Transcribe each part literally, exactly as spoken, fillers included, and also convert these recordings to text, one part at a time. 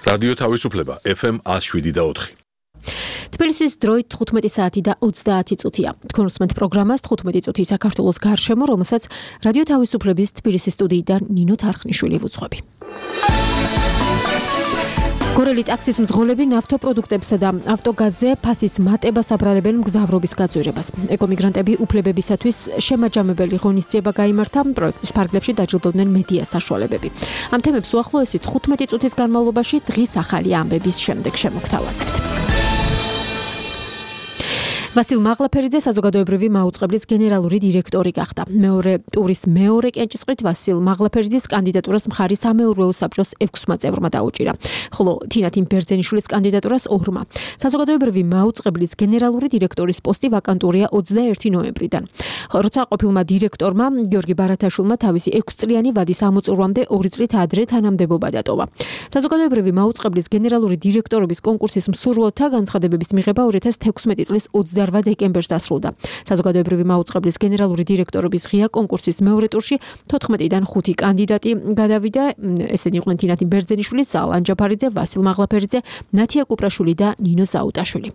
რადიო თავისუფლება ეფ ემ one oh seven და four. თბილისის დროით თხუთმეტი საათი და ოცდაათი წუთია. თქვენ უსმენთ პროგრამას თხუთმეტი წუთი საქართველოს გარშემო, რომელსაც რადიო თავისუფლების თბილისის სტუდიიდან ნინო თარხნიშვილი ვუძღვები. გორელი ტაქსის მძღოლები ნავთობპროდუქტებსა და ავტოგაზზე ფასის მატებას აბრალებენ მგზავრობის გაძვირებას. ეკომიგრანტები უფლებებისათვის შემაჯამებელი ღონისძიება გაიმართა, პროექტის ფარგლებში დაჯილდოვდნენ მედია საშუალებები. ამ თემებს უახლოესი თხუთმეტი წუთის განმავლობაში დღის ახალი ამბების შემდეგ შემოგთავაზებთ. ვასილ მაღლაფერიძე საზოგადოებრივი მაუწყებლის გენერალური დირექტორი გახდა. მეორე ტურის მეორე კენჭისყრით ვასილ მაღლაფერიძის კანდიდატურას მხარი სამეურვეო საბჭოს ექვსმა წევრმა დაუჭირა, ხოლო თინათინ ბერძენიშვილის კანდიდატურას ორმა. საზოგადოებრივი მაუწყებლის გენერალური დირექტორის პოსტი ვაკანტურია ოცდაერთი ნოემბრიდან. როცა ყოფილმა დირექტორმა გიორგი ბარათაშვილმა თავისი ექვსწლიანი ვადის ამოწურვამდე ორი წლით ადრე თანამდებობა დატოვა. საზოგადოებრივი მაუწყებლის გენერალური დირექტორობის კონკურსის მსურველთა განცხადებების მიღება ორი ათას თექვსმეტი წლის ოცდაოთხ დეკემბერს დასრულდა. საზოგადოებრივი მაუწყებლის გენერალური დირექტორობის ღია კონკურსის მეორე ტურში თოთხმეტიდან ხუთი კანდიდატი გადავიდა. ესენი იყვნენ თინათინ ბერძენიშვილი, ზალან ჯაფარიძე, ვასილ მაღლაფერიძე, ნათია კუპრაშვილი და ნინო საუტაშვილი.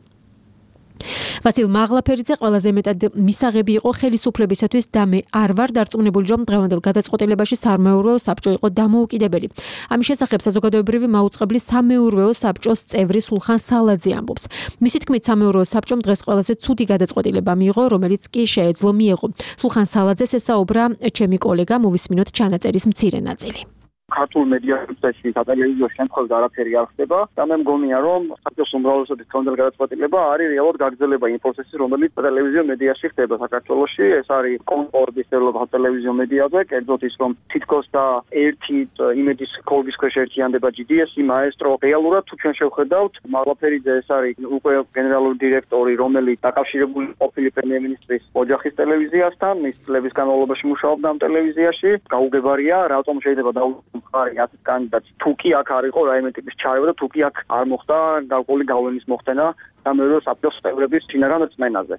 ვასილ მაღლაფერიძე ყველაზე მეტად მისაღები იყო ხელისუფლებისათვის და მე არ ვარ დარწმუნებული, რომ დღევანდელ გადაწყვეტილებაში სამეურვეო საბჭო იყო დამოუკიდებელი. ამის შესახებ საზოგადოებრივი მაუწყებლის სამეურვეო საბჭოს წევრი სულხან სალაძე ამბობს. მისი თქმით, სამეურვეო საბჭომ დღეს ყველაზე ცუდი გადაწყვეტილება მიიღო, რომელიც კი შეეძლო მიეღო. სულხან სალაძეს ესაუბრა ჩემი კოლეგა, მოვისმინოთ ჩანაწერის მცირე ნაწილი. ქართულ მედიასებში სატელევიზიო შემთხვევით არაფერი არ ხდება და მე მგონია რომ საქართველოს უმრავლესობის კონდელ გადაწყვეტილება არის რეალურად გაგრძელება იმ პროცესის რომელიც ტელევიზიო მედიაში ხდება საქართველოში. ეს არის კონკორდის ტელევიზიო მედიაზე, კერძოდ ის რომ თითქოს და ერთი იმედის კოლგის ქვეშ ერთიანდება ჯი დი ესი, მაესტრო. რეალურად თუ ჩვენ შევხედავთ, მაღლაფერიძე ეს არის უკვე გენერალური დირექტორი, რომელიც დაკავშირებული ყოფილი პრემიერ-მინისტრის ოჯახის ტელევიზიასთან, მის წლების განმავლობაში მუშაობდა ამ ტელევიზიაში. გაუგებარია, რატომ შეიძლება დაუწყო ხარი ასეთ კანდიდატს თუ კი აქ არ იყო რაიმე ტიპის ჩარევა და თუ კი აქ არ მოხდა გარკვეული გავლენის მოხდენა სამეურვეო საბჭოს წევრების შინაგან რწმენაზე.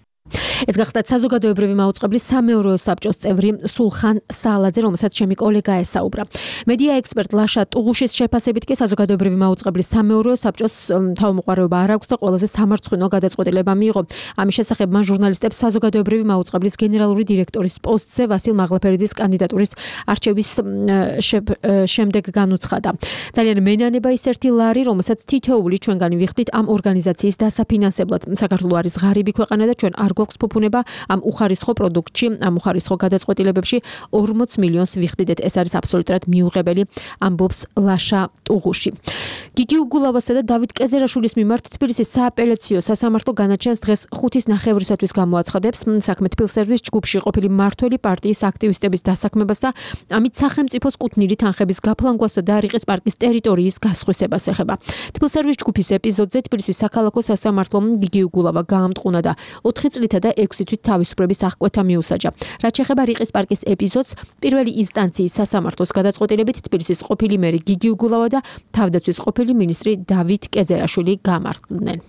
ეს გახდა საზოგადოებრივი მაუწყებლის სამეურვეო საბჭოს წევრი სულხან სალაძე, რომელსაც ჩემი კოლეგა ესაუბრა. მედია ექსპერტ ლაშა ტუღუშის შეფასებით კი საზოგადოებრივი მაუწყებლის სამეურვეო საბჭოს თავმოყარეობა არ აქვს და ყველაზე სამარცხვინო გადაწყვეტილება მიიღო. ამის შესახებ მან ჟურნალისტებს საზოგადოებრივი მაუწყებლის გენერალური დირექტორის პოსტზე ვასილ მაღლაფერიძის კანდიდატურის არჩევის შემდეგ განუცხადა. ძალიან მენანება ის ერთი ლარი, რომელსაც თითოეული ჩვენგანი ვიხდით ამ ორგანიზაციის დასაფინანსებლად. საქართველო არის ღარიბი ქვეყანა და ჩვენ არ გვაქვს ფუფუნება ამ უხარისხო პროდუქტში, ამ უხარისხო გადაწყვეტილებებში ორმოც მილიონს ვიხდიდეთ. ეს არის აბსოლუტურად მიუღებელი, ამბობს ლაშა ტუღუში. გიგი უგულავასა და დავით კეზერაშვილის მიმართ თბილისის სააპელაციო სასამართლო განაჩენს დღეს ხუთის ნახევრისათვის გამოაცხადებს საქმე თბილსერვის ჯგუფში ყოფილი მმართველი პარტიის აქტივისტების დასაქმებას და ამით სახელმწიფოს კუთვნილი თანხების გაფლანგვასა და რიყის პარკის ტერიტორიის გასხვისებას ეხება. თბილსერვის ჯგუფის ეპიზოდზე თბილისის საქალაქო სასამართლომ გიგი უგულავა გაამტყუნა და ოთხი წლითა და ექვსი თვით თავისუფლების აღკვეთა მიუსაჯა. რაც შეეხება რიყის პარკის ეპიზოდს, პირველი ინსტანციის სასამართლოს გადაწყვეტილებით თბილისის ყოფილი მერი გიგი უგულავა და თავდაცვის ყოფილი მინისტრი დავით კეზერაშვილი გამარჯვდნენ.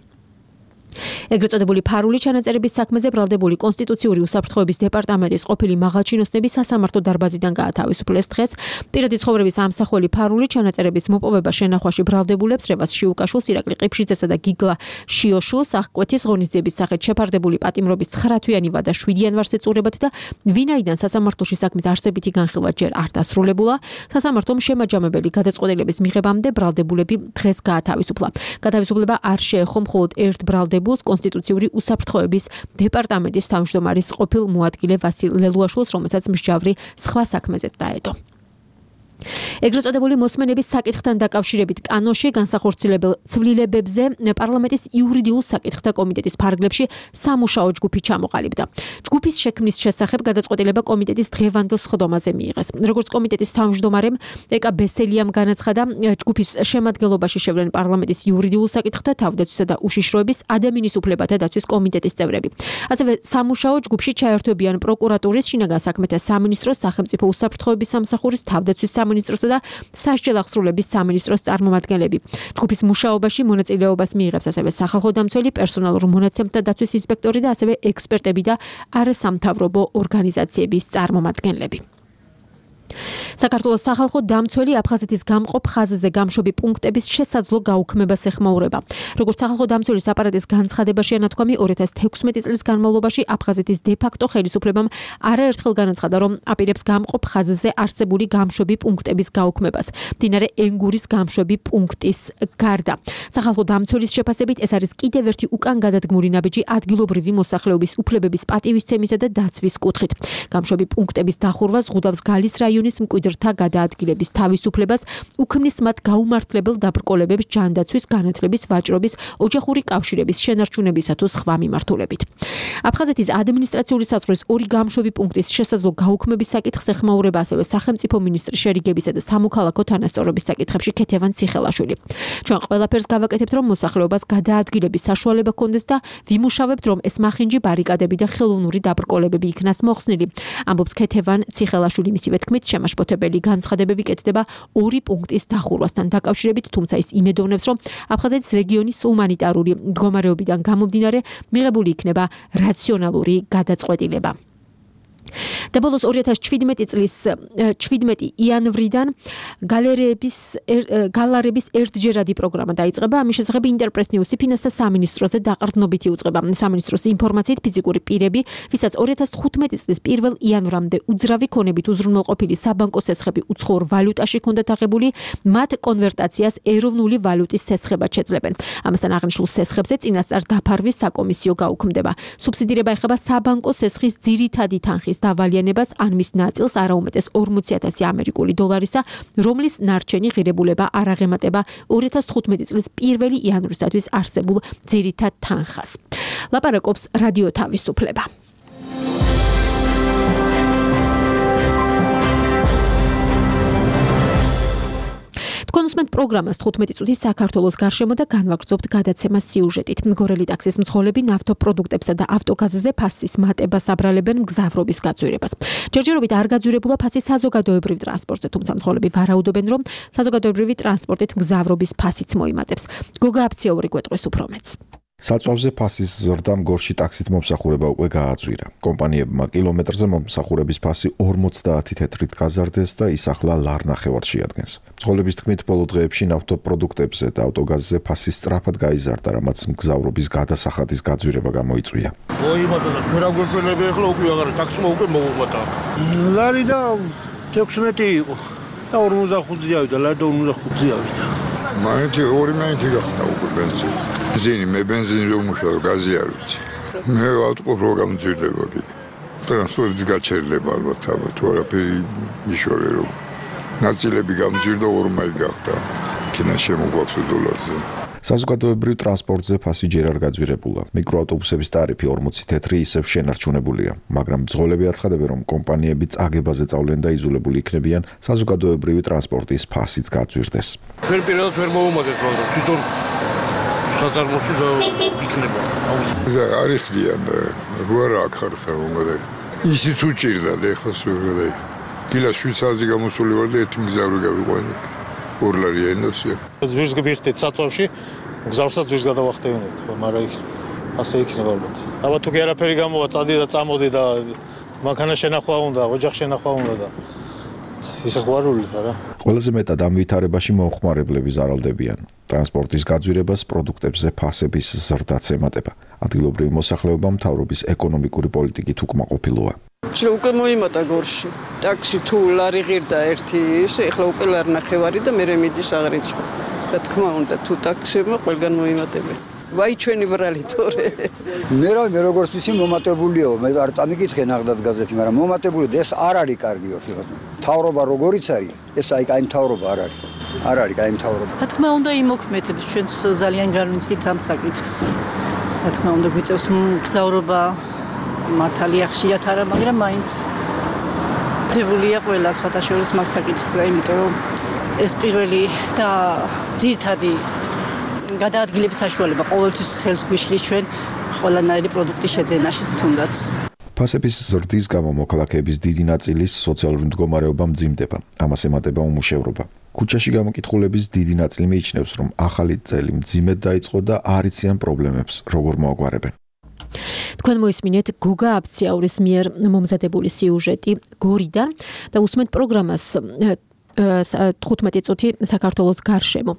ეგრეთ წოდებული ფარული ჩანაწერების საქმეზე ბრალდებული კონსტიტუციური უსაფრთხოების დეპარტამენტის ყოფილი მაღალჩინოსნები სასამართლო დარბაზიდან გაათავისუფლეს დღეს. პირადი ცხოვრების ამსახველი ფარული ჩანაწერების მოპოვება შენახვაში ბრალდებულებს რევას შიუკაშვილს, ირაკლი ყიფშიძესა და გიგლა შიოშვილს აღკვეთის ღონისძიების სახით შეფარდებული პატიმრობის ცხრა თვიანი ვადა შვიდი იანვარს ეწურებათ და ვინაიდან სასამართლოში საქმის არსებითი განხილვა ჯერ არ დასრულებულა, სასამართლომ შემაჯამებელი გადაწყვეტილების მიღებამდე ბრალდებულები დღეს გაათავისუფლა. გათავისუფლება არ შეეხო მხოლოდ ერთ ბრალდებულს კონსტიტუციური უსაფრთხოების დეპარტამენტის თავმჯდომარის ყოფილ მოადგილე ვასილ ლელუაშვილს, რომელსაც მსჯავრი სხვა საქმეზე დაედო. ეგრეთ წოდებული მოსმენების საკითხთან დაკავშირებით კანონში განსახორციელებელ ცვლილებებზე პარლამენტის იურიდიულ საკითხთა კომიტეტის ფარგლებში სამუშაო ჯგუფი ჩამოყალიბდა. ჯგუფის შექმნის შესახებ გადაწყვეტილება კომიტეტის დღევანდელ სხდომაზე მიიღეს. როგორც კომიტეტის თავმჯდომარემ ეკა ბესელიამ განაცხადა, ჯგუფის შემადგენლობაში შევლენ პარლამენტის იურიდიულ საკითხთა, თავდაცვისა და უშიშროების, ადამიანის უფლებათა დაცვის კომიტეტის წევრები. ასევე სამუშაო ჯგუფში ჩაერთვებიან პროკურატურის, შინაგან საქმეთა სამინისტროს, სახელმწიფო უსაფრთხოების სამსახურის, თავდაცვის სამინისტროსა და სასჯელ აღსრულების სამინისტროს წარმომადგენლები. ჯგუფის მუშაობაში მონაწილეობას მიიღებს ასევე სახალხო დამცველი, პერსონალურ მონაცემთა დაცვის ინსპექტორი და ასევე ექსპერტები და არასამთავრობო ორგანიზაციების წარმომადგენლები. საქართველოს სახალხო დამცველი აფხაზეთის გამყოფ ხაზზე გამშვები პუნქტების შესაძლო გაუქმებას ეხმაურება. როგორც სახალხო დამცველის აპარატის განცხადებაში ანათქვამი, ორი ათას თექვსმეტი წლის განმავლობაში აფხაზეთის დე-ფაქტო ხელისუფლებამ არაერთხელ განაცხადა, რომ აპირებს გამყოფ ხაზზე არსებული გამშვები პუნქტების გაუქმებას, მდინარე ენგურის გამშვები პუნქტის გარდა. სახალხო დამცველის შეფასებით, ეს არის კიდევ ერთი უკან გადადგმული ნაბიჯი ადგილობრივი მოსახლეობის უფლებების პატივისცემისა და დაცვის კუთხით. გამშვები პუნქტების დახურვა ზღუდავს გალის რაიონის მკვიდრთა გადაადგილების თავისუფლებას, უქმნის მათ გაუმართლებელ დაბრკოლებებს ჯანდაცვის, განათლების, ვაჭრობის, ოჯახური კავშირების შენარჩუნებისა თუ სხვა მიმართულებით. აფხაზეთის ადმინისტრაციული საზღვრის ორი გამშვები პუნქტის შესაძლო გაუქმების საკითხს ეხმაურება ასევე სახელმწიფო მინისტრის შერიგებისა და სამოქალაქო თანასწორობის საკითხებში ქეთევან ციხელაშვილი. ჩვენ ყველაფერს გავაკეთებთ, რომ მოსახლეობას გადაადგილების საშუალება ჰქონდეს და ვიმუშავებთ, რომ ეს მახინჯი ბარიკადები და ხელოვნური დაბრკოლებები იქნას მოხსნილი. ამბობს ქეთევან ციხელაშვილი. მისივე თქმით, შემაშფოთებელი განცხადებები კეთდება ორი პუნქტის დახურვასთან დაკავშირებით, თუმცა ის იმედოვნებს, რომ აფხაზეთის რეგიონის ჰუმანიტარული მდგომარეობიდან გამომდინარე მიღებული იქნება რაციონალური გადაწყვეტილება. და ბოლოს ორი ათას შვიდმეტი წლის შვიდმეტი იანვრიდან გალერეების გალარების ერთჯერადი პროგრამა დაიწყება. ამის შესახებ ინტერპრეს ნიუსი ფინანსთა სამინისტროზე დაყრდნობით იუწყება. სამინისტროს ინფორმაციით, ფიზიკური პირები, ვისაც ორი ათას თხუთმეტი წლის პირველ იანვრამდე უძრავი ქონებით უზრუნველყოფილი საბანკო სესხები უცხოურ ვალუტაში ჰქონდათ აღებული, მათ კონვერტაციას ეროვნული ვალუტის სესხებად შეძლებენ. ამასთან აღნიშნულ სესხებზე წინასწარ დაფარვის საკომისიო გაუქმდება. სუბსიდირება ეხება საბანკო სესხის ძირითადი თანხის დავალიანებას, ან მის ნაწილს არაუმეტეს ორმოცი ათასი ამერიკული დოლარისა, რომლის ნარჩენი ღირებულება არ აღემატება ორი ათას თხუთმეტი წლის პირველი იანვრისათვის არსებულ ძირითად თანხას. ლაპარაკობს რადიო თავისუფლება. თქვენ უსმენთ პროგრამას თხუთმეტი წუთი საქართველოს გარშემო და განვაგრძობთ გადაცემას სიუჟეტით. მგორელი ტაქსის მძღოლები ნავთობპროდუქტებსა და ავტოგაზზე ფასის მატებას აბრალებენ მგზავრობის გაძვირებას. ჯერჯერობით არ გაძვირებულა ფასი საზოგადოებრივ ტრანსპორტზე, თუმცა მძღოლები ვარაუდობენ, რომ საზოგადოებრივი ტრანსპორტით მგზავრობის ფასიც მოიმატებს. გოგა აფციაური გვეტყვის უფრო მეტს. საწვავზე ფასის ზრდამ გორში ტაქსით მომსახურება უკვე გააძვირა. კომპანიებმა კილომეტრზე მომსახურების ფასი ორმოცდაათი თეთრით გაზარდეს და ის ახლა ლარნახევარს შეადგენს. მძღოლების თქმით, ბოლო დღეებში ნავთობპროდუქტებზე და ავტოგაზზე ფასი სწრაფად გაიზარდა, რამაც მგზავრობის გადასახადის გაძვირება გამოიწვია. მოიმატა და მე რა გვეფენები ახლა უკვე აღარ ტაქსმა უკვე მოუმატა. ლარი და თექვსმეტი იყო და ორმოცდახუთი ავიდა, ლარი და ორმოცდახუთი ავიდა. მაინც ორი მაინც გახდა უკვე ბენზინი. ბენზინი მე ბენზინი რომ მუშაობ, გაზი არ ვიცი. მე ავტყოფ რო გამძირდება კიდე. ტრანსპორტის გაჩერდება ალბათ აბა თუ არაფერი იშოვე რომ ნაწილები გამძირდა ორ მაინც გახდა. კინა შემოგვაქვს დოლარზე. საზოგადოებრივ ტრანსპორტზე ფასი ჯერ არ გაძვირებულა. მიკროავტობუსების ტარიფი ორმოცი თეთრი ისევ შენარჩუნებულია, მაგრამ მძღოლები აცხადებენ, რომ კომპანიები წაგებაზე წავლენ და იზოლებული იქნებიან საზოგადოებრივი ტრანსპორტის ფასიც გაძვირდეს. ვერ პირადად ვერ მოუმატეთ, მაგრამ თვითონ საწარმოში იქნება. ზა არიხდიან და რა რა ხარს მომდა. ისიც უჭირდა და ეხლა სულ დილა შვიდ საათზე გამოსული ვარ და ერთი მგზავრი გავიყვანე. ორ ლარი ენდოსია. ძვირს გიხდეთ საწვავში, მგზავრსაც ძვირს გადავახტევინებთ, ხო, მაგრამ იქ ასე იქნება ალბათ. აბა თუ კი არაფერი გამოვა, წადი და წამოდი და მანქანა შენახვა უნდა, ოჯახ შენახვა უნდა და ისე ხვარულით არა. ყველაზე მეტად ამ ვითარებაში მომხმარებლები ზარალდებიან. ტრანსპორტის გაძვირებას პროდუქტებზე ფასების ზრდაც ემატება. ადგილობრივი მოსახლეობა მთავრობის ეკონომიკური პოლიტიკით უკმაყოფილოა. რომ უკვე მოიმატა გორში. ტაქსი თუ ლარი ღირდა ერთი ის, ეხლა უკვე ლარნახევარი და მე მიდის აღრიცხვა. რა თქმა უნდა, თუ ტაქსებმა ყველგან მოიმატებენ. ვაი ჩვენი ბრალი თორე. მე რა მე როგორც ვიცი მომატებულიო, მე არ წამიკითხე ნახდად გაზეთი, მაგრამ მომატებული და ეს არ არის კარგიო ხილხო. თავრობა როგორიც არის, ეს აი კაი თავრობა არ არის. არ არის კაი თავრობა. რა თქმა უნდა იმოქმედებს ჩვენს ძალიან განვიცდით ამ საკითხს. რა თქმა უნდა გვიწევს მგზავრობა მართალია ხშირად არა, მაგრამ მაინც დებულია ყველა სხვათა შორის მაგ საკითხზე, იმიტომ რომ ეს პირველი და ძირითადი გადაადგილების საშუალება ყოველთვის ხელს გვიშლის ჩვენ ყველანაირი პროდუქტის შეძენაშიც თუნდაც. ფასების ზრდის გამო მოქალაქეების დიდი ნაწილის სოციალური მდგომარეობა მძიმდება. ამას ემატება უმუშევრობა. ქუჩაში გამოკითხულების დიდი ნაწილი მიიჩნევს, რომ ახალი წელი მძიმედ დაიწყო და არ იციან პრობლემებს როგორ მოაგვარებენ. თქვენ მოისმინეთ გოგა აფციაურის მიერ მომზადებული სიუჟეტი გორიდან და უსმენთ პროგრამას თხუთმეტი წუთი საქართველოს გარშემო.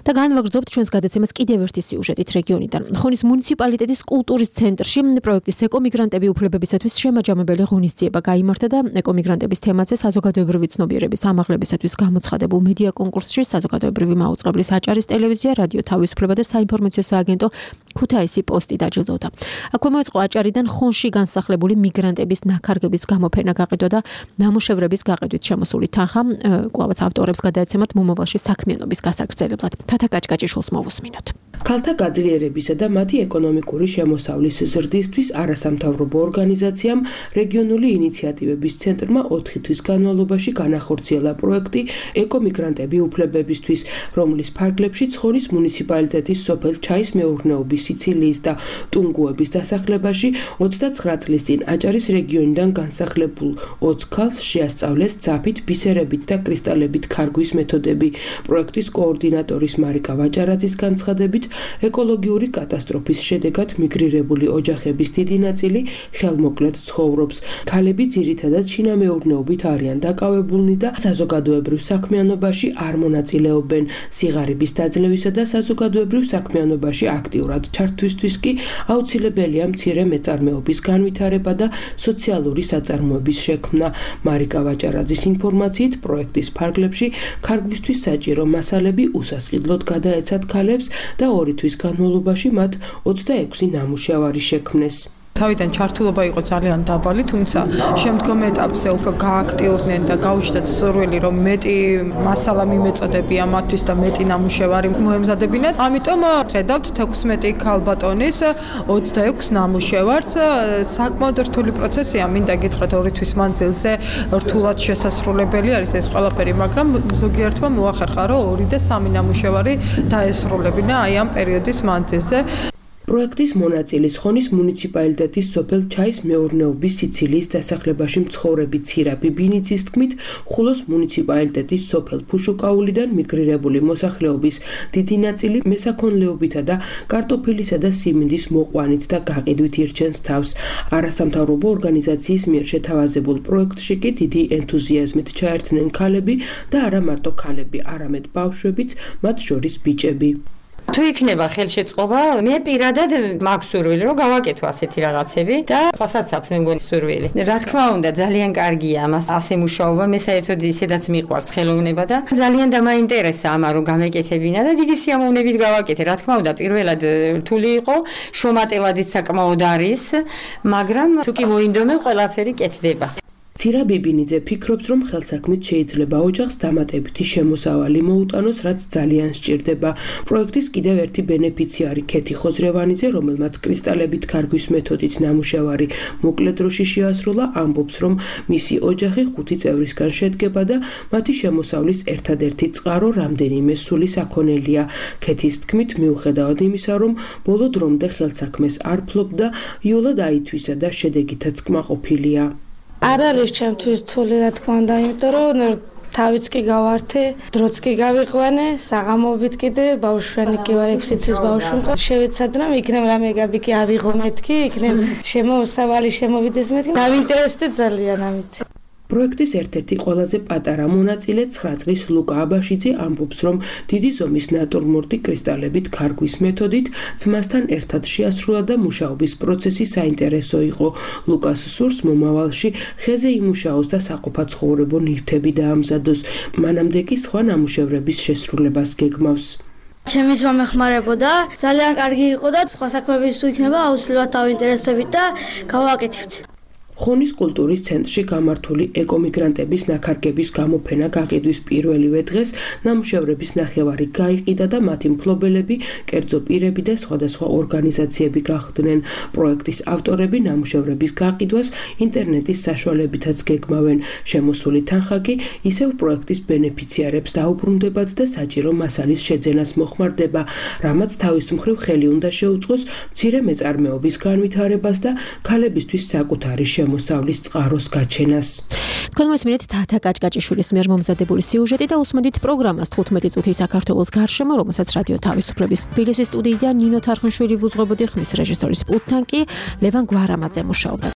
და განვაგრძობთ ჩვენს გადაცემას კიდევ ერთი სიუჟეტით რეგიონიდან. ხონის მუნიციპალიტეტის კულტურის ცენტრში პროექტის ეკომიგრანტები უფლებებისათვის შემაჯამებელი ღონისძიება გაიმართა და ეკომიგრანტების თემაზე საზოგადოებრივი ცნობიერების ამაღლებისათვის გამოცხადებულ მედია კონკურსში საზოგადოებრივი მაუწყებლის აჭარის ტელევიზია, რადიო თავისუფლება და საინფორმაციო სააგენტო ქუთაისი პოსტი დაჯილდოვდა. აქვე მოეწყო აჭარიდან ხონში განსახლებული მიგრანტების ნაქარგების გამოფენა გაყიდვა და ნამუშევრების გაყიდვით შემოსული თანხა კვლავაც ავტორებს გადაეცემათ მომავალში საქმიანობის გასაგრძელებლად. თათა კაჭკაჭიშვილს მოვუსმინოთ. ქალთა გაძლიერებისა და მათი ეკონომიკური შემოსავლის ზრდისთვის არასამთავრობო ორგანიზაციამ რეგიონული ინიციატივების ცენტრმა ოთხი თვის განმავლობაში განახორციელა პროექტი ეკომიგრანტები უფლებებისთვის, რომლის ფარგლებშიც ხონის მუნიციპალიტეტის სოფელ ჩაის მეურნეობის, სიცილიის და ტუნგუების დასახლებაში ოცდაცხრა წლის წინ აჭარის რეგიონიდან განსახლებულ ოცი ქალს შეასწავლეს ძაფით, ბისერებით და კრისტალებით ქარგვის მეთოდები. პროექტის კოორდინატორის მარიკა ვაჭარაძის განცხადებით, ეკოლოგიური კატასტროფის შედეგად მიგრირებული ოჯახების დიდი ნაწილი ხელმოკლედ ცხოვრობს. ქალები ძირითადად შინამეურნეობით არიან დაკავებულნი და საზოგადოებრივ საქმიანობაში არ მონაწილეობენ. სიღარიბის დაძლევისა და საზოგადოებრივ საქმიანობაში აქტიურად ჩართვისთვის კი აუცილებელია მცირე მეწარმეობის განვითარება და სოციალური საწარმოების შექმნა. მარიკა ვაჭარაძის ინფორმაციით, პროექტის ფარგლებში ქარგვისთვის საჭირო მასალები უსასყიდლოდ გადაეცათ ქალებს და ორი თვის განმავლობაში მათ ოცდაექვსი ნამუშევარი შექმნეს. თავიდან ჩართულობა იყო ძალიან დაბალი, თუმცა შემდგომ ეტაპზე უფრო გააქტიურდნენ და გაუჩნდათ სურვილი, რომ მეტი მასალა მიმეწოდებია მათთვის და მეტი ნამუშევარი მოემზადებინათ. ამიტომ ხედავთ თექვსმეტი ქალბატონის ოცდაექვსი ნამუშევარს. საკმაოდ რთული პროცესია, მინდა გითხრათ ორი თვის მანძილზე რთულად შესასრულებელი არის ეს ყველაფერი, მაგრამ ზოგიერთმა მოახერხა, რომ ორი და სამი ნამუშევარი დაესრულებინა აი ამ პერიოდის მანძილზე. პროექტის მონაწილის ხონის მუნიციპალიტეტის სოფელ ჩაის მეურნეობის სიცილიის დასახლებაში მცხოვრები ცირაბი ბინიძის თქმით, ხულოს მუნიციპალიტეტის სოფელ ფუშუკაულიდან მიგრირებული მოსახლეობის დიდი ნაწილი მესაქონლეობითა და კარტოფილისა და სიმინდის მოყვანით და გაყიდვით ირჩენს თავს. არასამთავრობო ორგანიზაციის მიერ შეთავაზებულ პროექტში კი დიდი ენთუზიაზმით ჩაერთნენ ქალები და არა მარტო ქალები, არამედ ბავშვებიც, მათ შორის ბიჭები. თუ იქნება ხელშეწყობა, მე პირადად მაქვს სურვილი, რომ გავაკეთო ასეთი რაღაცები და ხასაც აქვს მე მგონი სურვილი. რა თქმა უნდა, ძალიან კარგია ამას ასე მუშაობა, მე საერთოდ ისედაც მიყვარს ხელოვნება და ძალიან დამაინტერესა ამა რომ გამეკეთებინა და დიდი სიამოვნებით გავაკეთე. რა თქმა უნდა, პირველად რთული იყო, შრომატევადიც საკმაოდ არის, მაგრამ თუ კი მოინდომე, ყველაფერი კეთდება. ცირა ბიბინიძე ფიქრობს, რომ ხელსაქმით შეიძლება ოჯახს დამატებითი შემოსავალი მოუტანოს, რაც ძალიან სჭირდება. პროექტის კიდევ ერთი ბენეფიციარი ქეთი ხოზრევანიძე, რომელმაც კრისტალებით ქარგვის მეთოდით ნამუშევარი მოკლე დროში შეასრულა, ამბობს, რომ მისი ოჯახი ხუთი წევრისგან შედგება და მათი შემოსავლის ერთადერთი წყარო რამდენიმე სული საქონელია. ქეთის თქმით, მიუხედავად იმისა, რომ ბოლო დრომდე ხელსაქმეს არ ფლობდა, იოლად აითვისა და შედეგითაც კმაყოფილია. არ არის ჩემთვის რთული, რა თქმა უნდა, იმიტომ რომ თავიც კი გავართე, დროც კი გავიყვანე, საღამობით კიდე ბავშვანი კი ვარ, ექვსი თვის ბავშვი მყავს. შევეცადე რომ იქნებ რამე გაბიკი ავიღო მეთქი, იქნებ შემოსავალი შემოვიდეს მეთქი. დავინტერესდე ძალიან ამით. პროექტის ერთ-ერთი ყველაზე პატარა მონაწილე ცხრა წლის ლუკა აბაშიძე ამბობს, რომ დიდი ზომის ნატურმორტი კრისტალებით ქარგვის მეთოდით ძმასთან ერთად შეასრულა და მუშაობის პროცესი საინტერესო იყო. ლუკას სურს მომავალში ხეზე იმუშაოს და საყოფაცხოვრებო ნივთები დაამზადოს. მანამდე კი სხვა ნამუშევრების შესრულებას გეგმავს. ჩემი ძმა მეხმარებოდა, ძალიან კარგი იყო და სხვა საქმეების თუ იქნება, აუცილებლად დავინტერესდებით და გავაკეთებთ. ხონის კულტურის ცენტრში გამართული ეკომიგრანტების ნაქარგების გამოფენა გაყიდვის პირველივე დღეს ნამუშევრების ნახევარი გაიყიდა და მათი მფლობელები, კერძო პირები და სხვადასხვა ორგანიზაციები გახდნენ. პროექტის ავტორები ნამუშევრების გაყიდვას ინტერნეტის საშუალებითაც გეგმავენ. შემოსული თანხა კი ისევ პროექტის ბენეფიციარებს დაუბრუნდებათ და საჭირო მასალის შეძენას მოხმარდება, რამაც თავის მხრივ ხელი უნდა შეუწყოს მცირე მეწარმეობის განვითარებას და ქალებისთვის საკუთარი შემოსავლის წყაროს გაჩენას. თქვენ მოსმენთ თათა კაჭკაჭიშვილის მიერ მომზადებული სიუჟეტი და უსმენთ პროგრამას თხუთმეტი წუთი საქართველოს გარშემო, რომელსაც რადიო თავისუფლების თბილისის სტუდიიდან ნინო თარხნიშვილი ვუძღვებოდი, ხმის რეჟისორის პულტთან კი ლევან გვარამაძე მუშაობდა.